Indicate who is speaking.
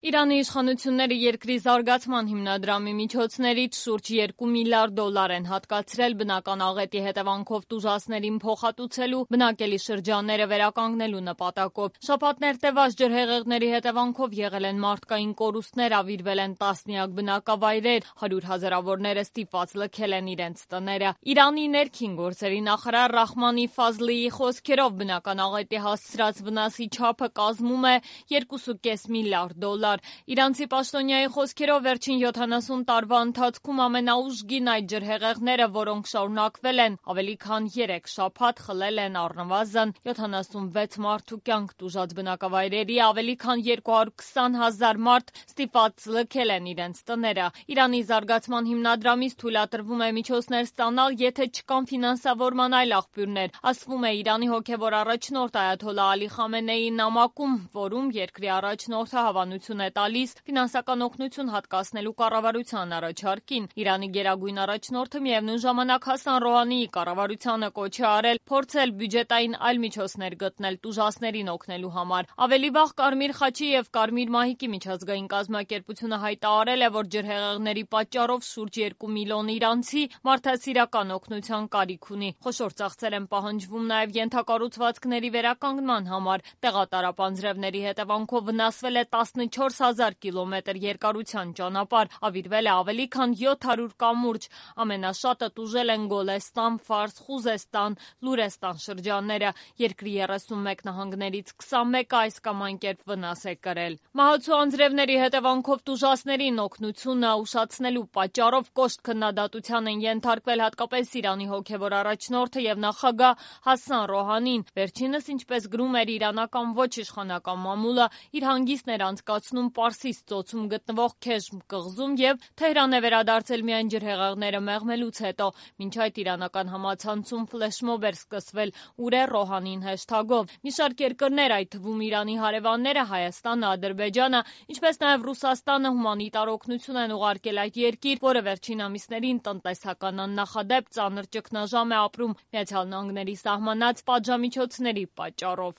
Speaker 1: Իրանի իշխանությունները երկրի զարգացման հիմնադրամի միջոցներից շուրջ 2 միլիարդ դոլար են հատկացրել բնական աղետի հետևանքով տուժածներին փոխհատուցելու, բնակելի շրջանները վերականգնելու նպատակով։ Շաբաթներ տևած ջրհեղեղների հետևանքով եղել են մարդկային կորուստներ, ավիրվել են տասնյակ բնակավայրեր, 100 հազարավորները ստիպված լքել են իրենց տները։ Իրանի ներքին գործերի նախարար Ռահմանի Ֆազլիի խոսքերով բնական աղետի հասցրած վնասի չափը կազմում է 2,5 միլիարդ դոլար։ Իրանցի պաշտոնյայի խոսքերով վերջին 70 տարվա ընթացքում ամենաուժգին այդ ջրհեղեղները, որոնք շարունակվել են ավելի քան 3 շաբաթ, խլել են առնվազն 76 մարդու կյանք, տուժած բնակավայրերի ավելի քան 220 հազար մարդ ստիպված լքել են իրենց տները։ Իրանի զարգացման հիմնադրամից թույլատրվում է միջոցներ ստանալ, եթե չկան ֆինանսավորման այլ աղբյուրներ, ասվում է Իրանի հոգևոր առաջնորդ այաթոլլահ Ալի Խամենեիի նամակում, որում երկրի առաջնորդը հավանություն է տալիս ֆինանսական օգնություն հատկացնելու կառավարության առաջարկին։ Իրանի գերագույն առաջնորդը միևնույն ժամանակ Հասան Ռոհանիի կառավարությանը կոչ է արել փորձել բյուջետային այլ միջոցներ գտնել տուժածներին օգնելու համար։ Ավելի վաղ Կարմիր խաչի եւ Կարմիր մահիկի միջազգային կազմակերպությունը հայտարարել է, որ ջրհեղեղների պատճառով շուրջ 2 միլիոն իրանցի մարդասիրական օգնության կարիք ունի։ Խոշոր ծախսեր են պահանջվում նաեւ ենթակառուցվածքների վերականգնման համար։ Տեղատարապ անձրևների հետևանքով վնասվել է 14 հազար կիլոմետր երկարության ճանապարհ, ավիրվել է ավելի քան 700 կամուրջ, ամենաշատը տուժել են Գոլեստան, Ֆարս, Խուզեստան, Լուրեստան շրջանները, երկրի 31 նահանգներից 21-ը այս կամ այն կերպ վնաս է կրել։ Մահացու անձրևների հետևանքով տուժածներին օգնությունը ուշացնելու պատճառով կոշտ քննադատության են ենթարկվել հատկապես Իրանի հոգևոր առաջնորդը եւ նախագահ Հասան Ռոհանին։ Վերջինս, ինչպես գրում էր իրանական ոչ իշխանական մամուլը, իր հանգիստն էր անցկացնում Պարսից ծոցում գտնվող Քեժմ կղզում եւ Թեհրան է վերադարձել միայն ջրհեղեղները մեղմելուց հետո։ Մինչ այդ իրանական համացանցում ֆլեշմոբ էր սկսվել «Ուր է Ռոհանին» հեշթագով։ Մի շարք երկրներ, այդ թվում Իրանի հարևանները Հայաստանը, Ադրբեջանը, ինչպես նաեւ Ռուսաստանը հումանիտար օգնություն են ուղարկել այդ երկիր, որը վերջին ամիսներին տնտեսական աննախադեպ ծանր ճգնաժամ է ապրում ԱՄՆ-ի սահմանած պատժամիջոցների պատճառով։